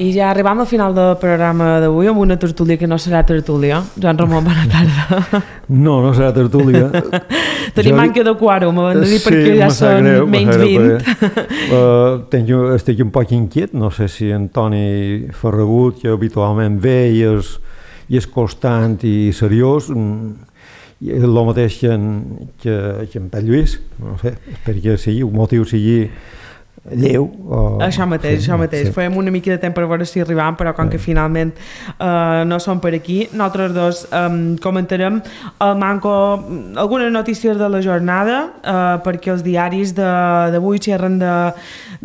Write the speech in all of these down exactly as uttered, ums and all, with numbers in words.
I ja arribam al final del programa d'avui amb una tertúlia que no serà tertúlia. Joan Ramon, bona tarda. No, no serà tertúlia. Tenim manca de quòrum, m'han de dir, sí, perquè ja són greu, menys vint. Uh, tenc, estic un poc inquiet, no sé si Antoni Ferragut, que habitualment ve i és, i és constant i seriós, i el mateix que en, que, que en Pere Lluís, no sé, espero que sigui, el motiu sigui lleu. O... Això mateix, sí, això mateix. Sí. Fèiem una mica de temps per veure si arribàvem, però com sí. que finalment uh, no som per aquí, nosaltres dos um, comentarem el manco, algunes notícies de la jornada, uh, perquè els diaris d'avui xerren de,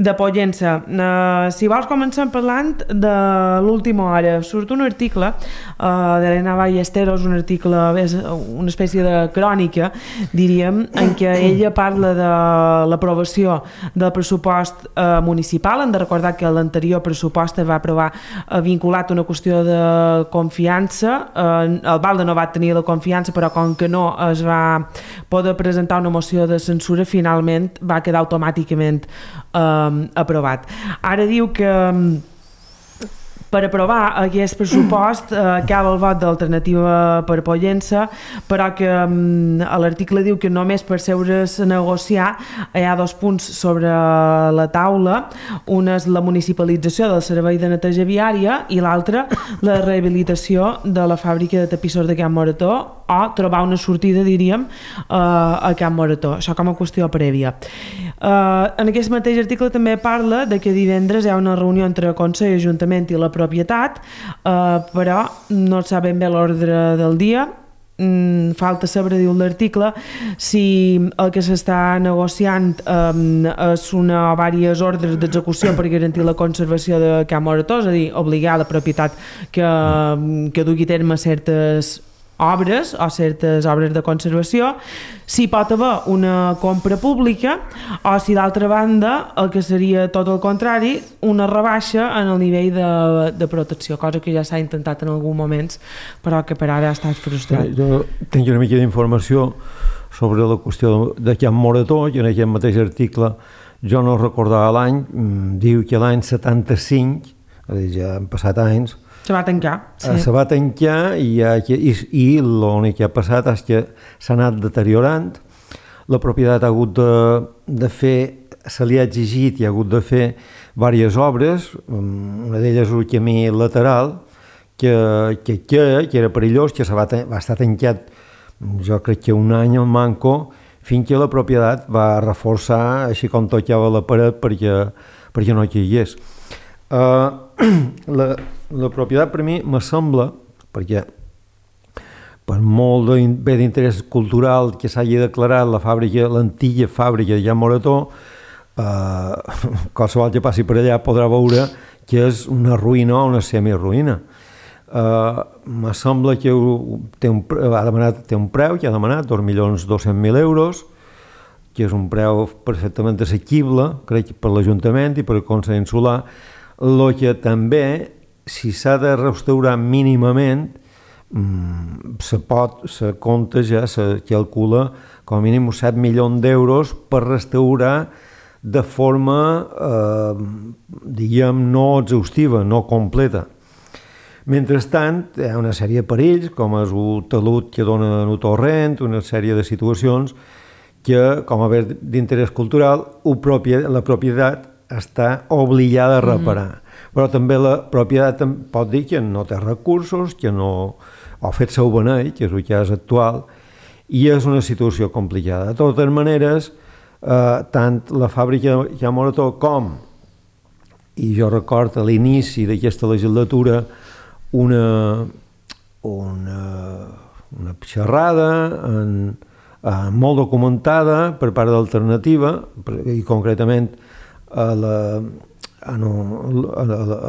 de Pollença. Uh, si vols comencem parlant de l'última hora. Surt un article uh, d'Helena Ballesteros, un article, és una espècie de crònica, diríem, en què ella parla de l'aprovació del pressupost Eh, municipal. Hem de recordar que l'anterior pressupost es va aprovar eh, vinculat a una qüestió de confiança. Eh, el Balde no va tenir la confiança, però com que no es va poder presentar una moció de censura, finalment va quedar automàticament eh, aprovat. Ara diu que per aprovar aquest pressupost eh, cal el vot d'Alternativa per Pollença, però que mm, l'article diu que només per seure's a negociar hi ha dos punts sobre la taula. Un és la municipalització del servei de neteja viària i l'altre la rehabilitació de la fàbrica de tapissors de Can Morató, o trobar una sortida, diríem, eh, a Can Morató. Això com a qüestió prèvia. Eh, en aquest mateix article també parla de que divendres hi ha una reunió entre Consell, Ajuntament i la propietat, eh, però no sap ben bé l'ordre del dia. Mm, falta saber, diu l'article, si el que s'està negociant eh, és una o diverses ordres d'execució per garantir la conservació de Can Morató, és a dir, obligar la propietat que, que dugui a terme certes obres o certes obres de conservació, si pot haver una compra pública o si d'altra banda el que seria tot el contrari, una rebaixa en el nivell de, de protecció, cosa que ja s'ha intentat en alguns moments però que per ara ha estat frustrat. Sí, jo tinc una mica d'informació sobre la qüestió de Can Morató, i en aquest mateix article jo no recordava l'any, diu que l'any setanta-cinc, és a dir, ja han passat anys, se va tancar. Sí. Se va tancar i, i, i l'únic que ha passat és que s'ha anat deteriorant. La propietat ha hagut de, de fer, se li ha exigit i ha hagut de fer diverses obres, una d'elles un camí lateral que, que, que, que era perillós, que se va, va estar tancat jo crec que un any al manco, fins que la propietat va reforçar així com tocava la paret perquè, perquè no caigués. Uh, la, la propietat per mi me sembla, perquè per molt de, bé d'interès cultural que s'hagi declarat la fàbrica, l'antiga fàbrica de Can Morató, uh, qualsevol que passi per allà podrà veure que és una ruïna o una semiruïna. Uh, me sembla que té un, ha demanat, té un preu que ha demanat dos milions dos-cents mil euros, que és un preu perfectament assequible, crec, per l'Ajuntament i per el Consell Insular. El que també, si s'ha de restaurar mínimament, mmm, se pot, se compta ja, se calcula com a mínim set milions d'euros per restaurar de forma, eh, diguem, no exhaustiva, no completa. Mentrestant, hi ha una sèrie de perills, com és el talut que dona el torrent, una sèrie de situacions que, com a bé d'interès cultural, la propietat està obligada a reparar. Mm-hmm. Però també la propietat pot dir que no té recursos, que no ha fet seu beneit, que és el cas actual, i és una situació complicada. De totes maneres, eh, tant la fàbrica de Can Morató com, i jo recordo a l'inici d'aquesta legislatura, una, una, una xerrada en, en molt documentada per part d'Alternativa, i concretament a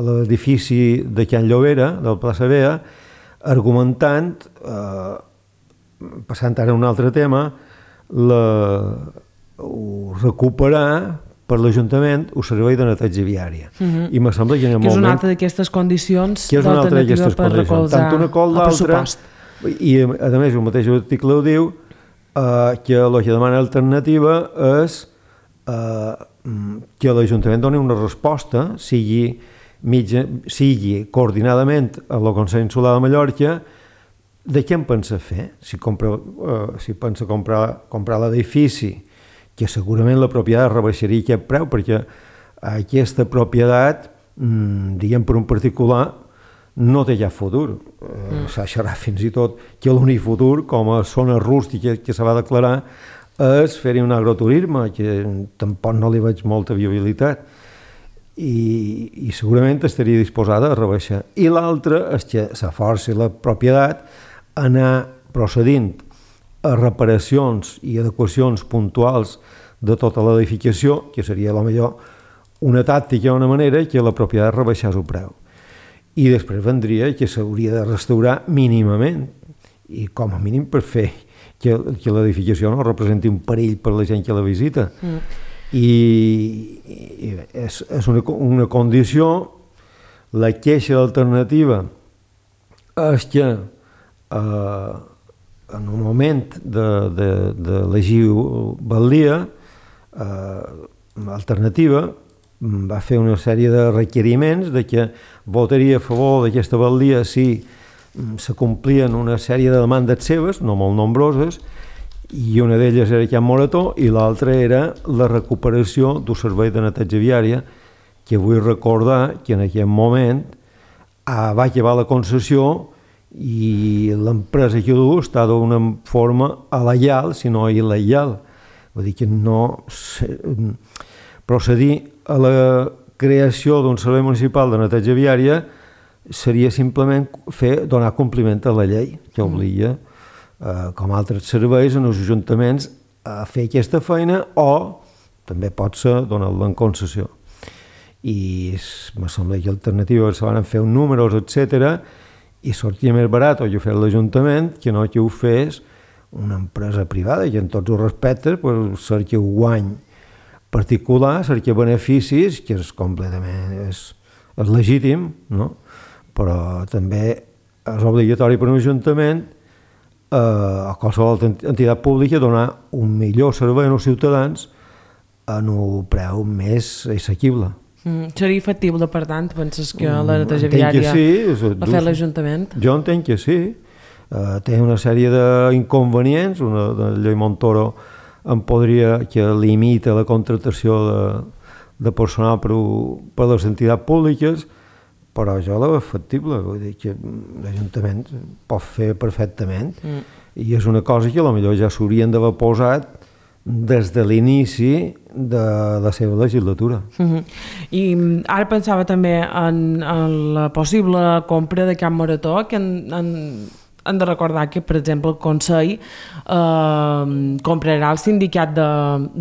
l'edifici de Can Llobera, del Plaça Vea, argumentant, eh, passant ara a un altre tema, la, recuperar per l'Ajuntament el servei de neteja viària. Uh-huh. I me sembla que en el que és moment... una altra d'aquestes condicions d'Alternativa per recolzar tant una com l'altra, i a més el mateix article ho diu, eh, que el que demana Alternativa és eh, que l'Ajuntament doni una resposta, sigui mitja, sigui coordinadament a el Consell Insular de Mallorca, de què en pensa fer? Si, compra, uh, si pensa comprar, comprar l'edifici, que segurament la propietat rebaixaria aquest preu, perquè aquesta propietat, mmm, diguem per un particular, no té ja futur. Mm. Uh, S'ha fins i tot que l'únic futur, com a zona rústica que se va declarar, és fer-hi un agroturisme, que tampoc no li veig molta viabilitat. I, i segurament estaria disposada a rebaixar. I l'altre és que s'aforci la propietat a anar procedint a reparacions i adequacions puntuals de tota l'edificació, que seria potser una tàctica o una manera que la propietat rebaixés el preu. I després vendria que s'hauria de restaurar mínimament, i com a mínim per fer que, que l'edificació no representi un perill per la gent que la visita. Mm. I, i és, és una, una condició. La queixa d'alternativa és que eh, en un moment d'elegir batllia, eh, l'alternativa va fer una sèrie de requeriments de que votaria a favor d'aquesta batllia si se complien una sèrie de demandes seves, no molt nombroses, i una d'elles era aquest morató i l'altra era la recuperació d'un servei de neteja viària, que vull recordar que en aquell moment ah, va acabar la concessió i l'empresa que ho du està d'una forma il·legal, si no il·legal. Vull dir que no procedir a la creació d'un servei municipal de neteja viària seria simplement fer, donar compliment a la llei que obliga, eh, com altres serveis, en els ajuntaments a fer aquesta feina, o també pot ser donar-la en concessió. I me sembla que alternatives se van fer un números, etcètera, i sortia més barat o jo fer l'Ajuntament que no que ho fes una empresa privada, que en tots els respectes pues, cerca un guany particular, cerca beneficis, que és completament és, és legítim, no? Però també és obligatori per un ajuntament eh, a qualsevol entitat pública donar un millor servei als ciutadans en un preu més assequible. Mm, seria factible, per tant, penses que la neteja viària sí, la fa l'Ajuntament? Jo entenc que sí. Uh, té una sèrie d'inconvenients, una de la llei Montoro en podria, que limita la contractació de, de personal per, per les entitats públiques, però jo la veig factible, vull dir que l'Ajuntament pot fer perfectament, mm. i és una cosa que potser ja s'haurien d'haver posat des de l'inici de la seva legislatura. Uh-huh. I ara pensava també en, en la possible compra de Camp Morató, que en, en, hem de recordar que, per exemple, el Consell eh, comprarà el sindicat de,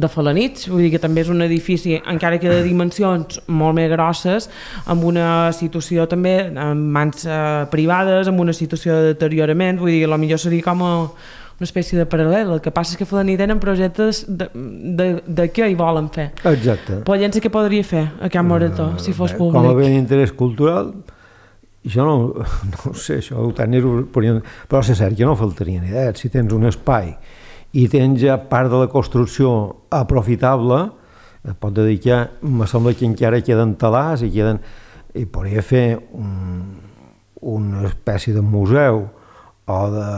de Felanitx, vull dir que també és un edifici, encara que de dimensions molt més grosses, amb una situació també en mans eh, privades, amb una situació de deteriorament, vull dir que potser seria com a una espècie de paral·lel. El que passa és que Felanitx tenen projectes de, de, de què hi volen fer. Exacte. Però llença què podria fer a Camp Morató, uh, si fos públic? Com a bé d'interès cultural, jo no, no sé, això ho tenies, però és cert que no faltarien idees. Si tens un espai i tens ja part de la construcció aprofitable, et pot dedicar, me sembla que encara queden talars i queden, i podria fer un, una espècie de museu o de,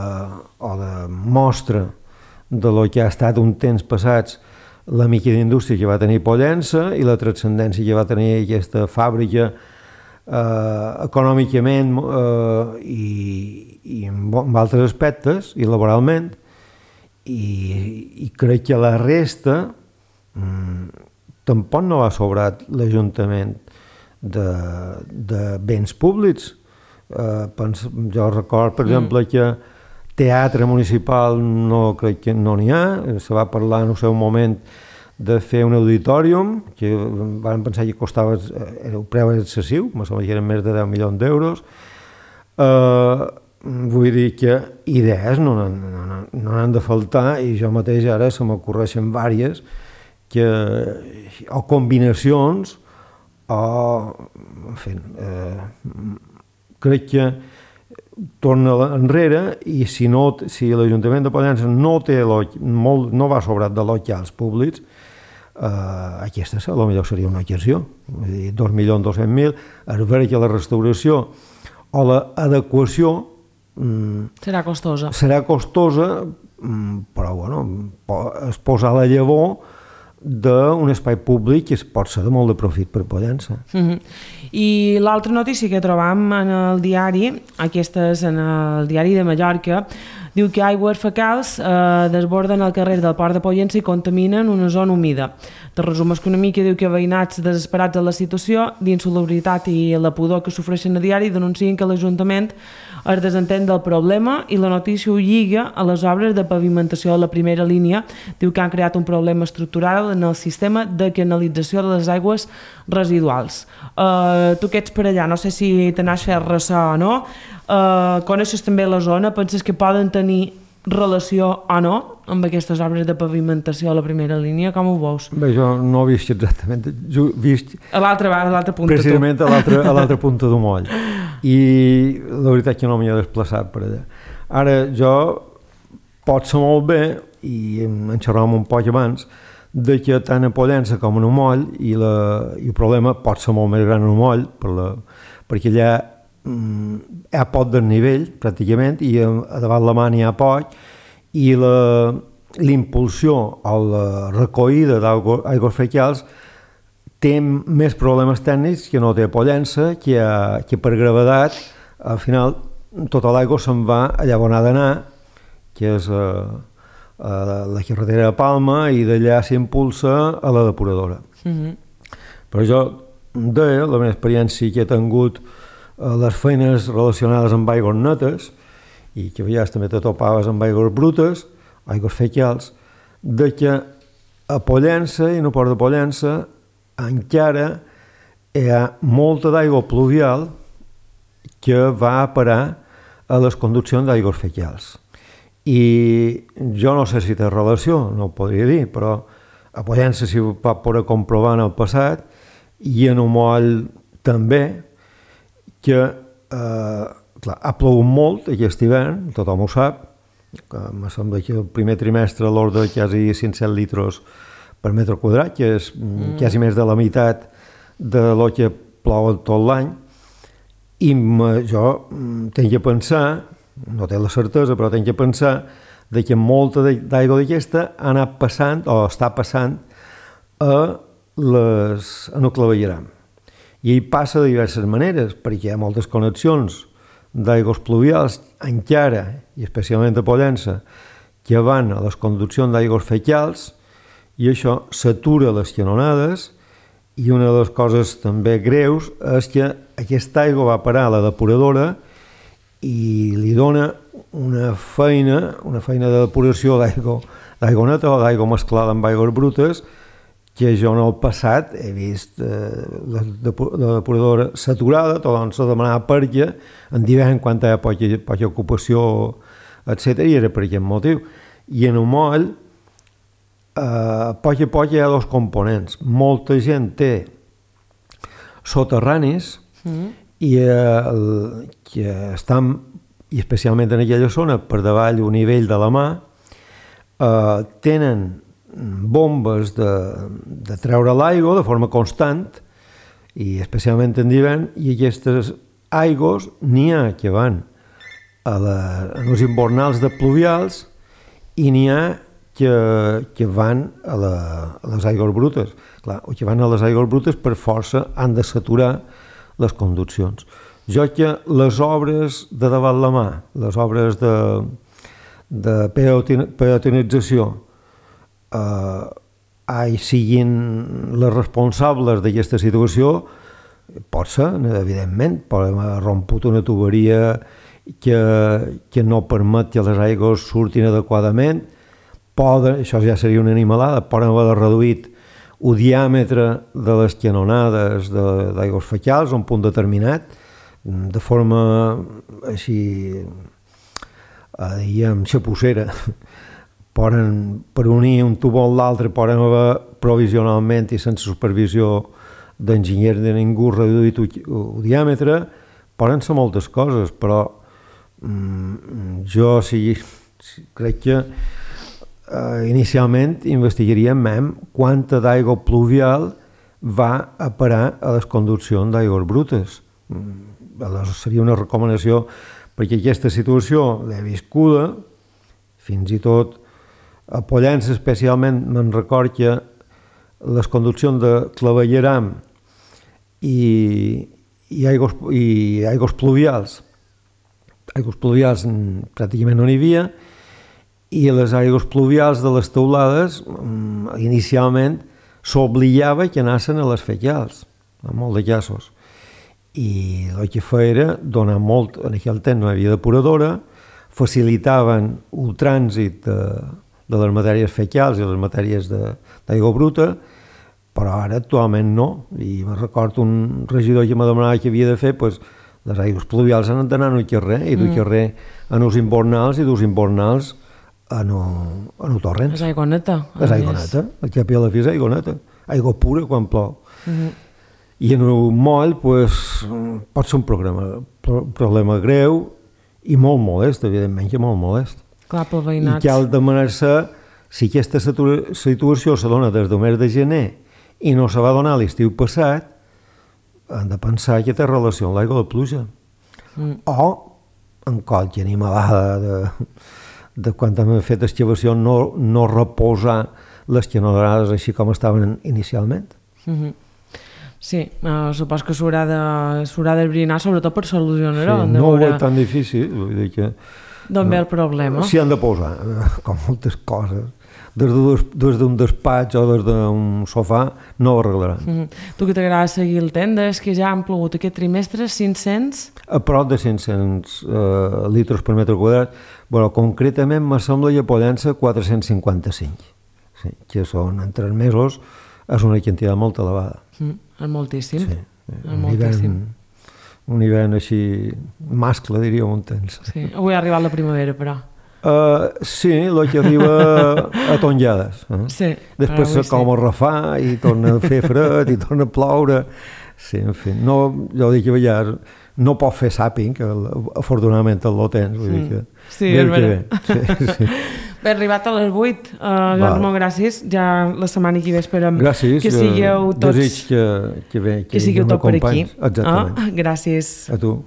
o de mostra de lo que ha estat un temps passats la mica d'indústria que va tenir Pollença i la transcendència que va tenir aquesta fàbrica eh, econòmicament eh, i, i en, en altres aspectes i laboralment, i, i crec que la resta mm, tampoc no ha sobrat l'Ajuntament de, de béns públics. Uh, pens, jo record, per mm. exemple, que teatre municipal no crec que no n'hi ha. Se va parlar en el seu moment de fer un auditorium, que van pensar que costava, era un preu excessiu, me sembla que eren més de deu milions d'euros. Uh, vull dir que idees no n'han no, no, no han de faltar, i jo mateix ara se m'ocorreixen vàries que, o combinacions o, en fi, eh, crec que torna enrere, i si, no, si l'Ajuntament de Pollença no, té molt, no va sobrat de locals públics, Uh, aquesta potser seria una exerció, dos milions dos-cents mil, es veure que la restauració o l'adequació mm, serà costosa, serà costosa mm, però bueno, es posa la llavor d'un espai públic que es pot ser de molt de profit per Pollença. Mm-hmm. I l'altra notícia que trobam en el diari, aquesta és en el diari de Mallorca, diu que aigües fecals eh, desborden el carrer del Port de Pollença i contaminen una zona humida. Te resum una mica, diu que veïnats desesperats de la situació d'insalubritat i la pudor que sofreixen a diari denuncien que l'Ajuntament es desentén del problema i la notícia ho lliga a les obres de pavimentació de la primera línia. Diu que han creat un problema estructural en el sistema de canalització de les aigües residuals. Uh, tu que ets per allà, no sé si te n'has fet ressò o no, uh, coneixes també la zona, penses que poden tenir relació o no amb aquestes obres de pavimentació a la primera línia? Com ho veus? Bé, jo no he vist exactament, jo he vist a l'altra a l'altra punta precisament tu. a l'altra a l'altra punta d'un moll, i la veritat que no m'hi he desplaçat per allà. Ara jo pot ser molt bé, i en xerràvem un poc abans, de que tant a Pollença com en un moll, i, la, i el problema pot ser molt més gran en un moll, per la, perquè allà mm, hi ha poc desnivell pràcticament, i a, a davant la mà n'hi ha poc, i la, l'impulsió o la recollida d'aigües fecals té més problemes tècnics que no té Pollença, que, que per gravedat al final tota l'aigua se'n va allà on ha d'anar, que és a, a la carretera de Palma, i d'allà s'impulsa a la depuradora. Mm-hmm. Però jo deia, la meva experiència que he tingut a les feines relacionades amb aigües netes, i que a vegades també te topaves amb aigües brutes, aigües fecals, de que a Pollença i no Port de Pollença encara hi ha molta d'aigua pluvial que va a parar a les conduccions d'aigües fecals. I jo no sé si té relació, no ho podria dir, però a Pollença s'hi va poder comprovar en el passat, i en un moll també, que eh, clar, ha plogut molt aquest hivern, tothom ho sap, que em sembla que el primer trimestre a l'ordre de quasi cinc-cents litres per metre quadrat, que és mm. quasi més de la meitat de lo que plou tot l'any, i jo tinc que pensar, no té la certesa, però tinc que pensar de que molta d'aigua d'aquesta ha anat passant, o està passant, a, les, en el clavegueram. I ell passa de diverses maneres, perquè hi ha moltes connexions d'aigües pluvials encara, i especialment a Pollença, que van a les conduccions d'aigües fecals, i això s'atura les canonades, i una de les coses també greus és que aquesta aigua va parar a la depuradora i li dona una feina, una feina de depuració d'aigua, d'aigua neta o d'aigua mesclada amb aigües brutes, que jo en el passat he vist eh, la, la depuradora saturada, doncs se demanava per què, en d'hivern quan hi ha poca, poca ocupació, etcètera, i era per aquest motiu. I en un moll, eh, a poc a poc hi ha dos components. Molta gent té soterranis mm. i eh, que estan, i especialment en aquella zona, per davall un nivell de la mà, eh, tenen bombes de, de treure l'aigua de forma constant, i especialment en d'hivern, i aquestes aigües n'hi ha que van a, la, a els invernals de pluvials i n'hi ha que, que van a, la, a les aigües brutes. Clar, o que van a les aigües brutes per força han de saturar les conduccions. Jo que les obres de davant la mà, les obres de, de peatonització, Uh, ai, siguin les responsables d'aquesta situació, pot ser, evidentment, podem romput una tuberia que, que no permet que les aigües surtin adequadament, poden, això ja seria una animalada, poden haver reduït el diàmetre de les canonades d'aigües fecals a un punt determinat, de forma així, uh, diguem, xapussera. Poden, per unir un tubo amb l'altre, poden haver provisionalment i sense supervisió d'enginyer de ningú reduït el diàmetre, poden ser moltes coses, però mm, jo sí, sí, crec que eh, inicialment investigaríem quanta d'aigua pluvial va a parar a les conduccions d'aigües brutes. Aleshores seria una recomanació, perquè aquesta situació l'he viscuda, fins i tot a Pollença especialment me'n record que les conduccions de clavegueram i, i, aigües, i aigües pluvials, aigües pluvials pràcticament no n'hi havia, i les aigües pluvials de les teulades inicialment s'obligava que anessin a les fecals, en molt de casos. I el que feia era donar molt, en aquell temps no hi havia depuradora, facilitaven el trànsit de, de les matèries fecals i les matèries d'aigua bruta, però ara actualment no. I me recordo un regidor que me demanava que havia de fer, pues, les aigües pluvials han d'anar en el carrer, i del mm. carrer en els invernals i dels invernals en el torrent. És aigua neta. És aigua neta, el que a la fi és aigua neta, aigua pura quan plou. Mm-hmm. I en el moll pues, pot ser un problema, problema greu i molt molest, evidentment que molt molest. Clar, pel veïnat. I cal demanar-se si aquesta situació se dona des del mes de gener i no se va donar l'estiu passat, han de pensar que té relació amb l'aigua de pluja. Mm. O en qualque animalada de, de quan hem fet excavació no, no reposar les canonades així com estaven inicialment. Mm-hmm. Sí, uh, supos que s'haurà de, s'haurà de brinar, sobretot per solucionar-ho. Sí, no ho veig tan difícil, vull dir que... D'on ve el problema? S'hi han de posar, com moltes coses. Des d'un despatx o des d'un sofà no ho arreglaran. Mm-hmm. Tu que t'agrada seguir el temps, que ja han plogut aquest trimestre cinc-cents? A prop de cinc-cents uh, litres per metre quadrat, però concretament me sembla que a Pollença quatre-cents cinquanta-cinc, sí, que són en tres mesos, és una quantitat molt elevada. Mm, és moltíssim. Sí, és un moltíssim. Hivern, un hivern així mascle, diríem, un temps. Sí, avui ha arribat la primavera, però. Uh, sí, el que arriba a tonjades. Eh? Sí, després se com a refà i torna a fer fred i torna a ploure. Sí, en fi, no, jo dic que ja no pot fer sàping, que afortunadament el tens. Vull dir que sí, és veritat. Sí, sí. Bé, arribat a les vuit, uh, Joan Ramon, gràcies. Ja la setmana que ve esperem gràcies, que sigueu tots... Desig que, que, bé, que, que sigueu tot per aquí. Exactament. Ah, gràcies. A tu.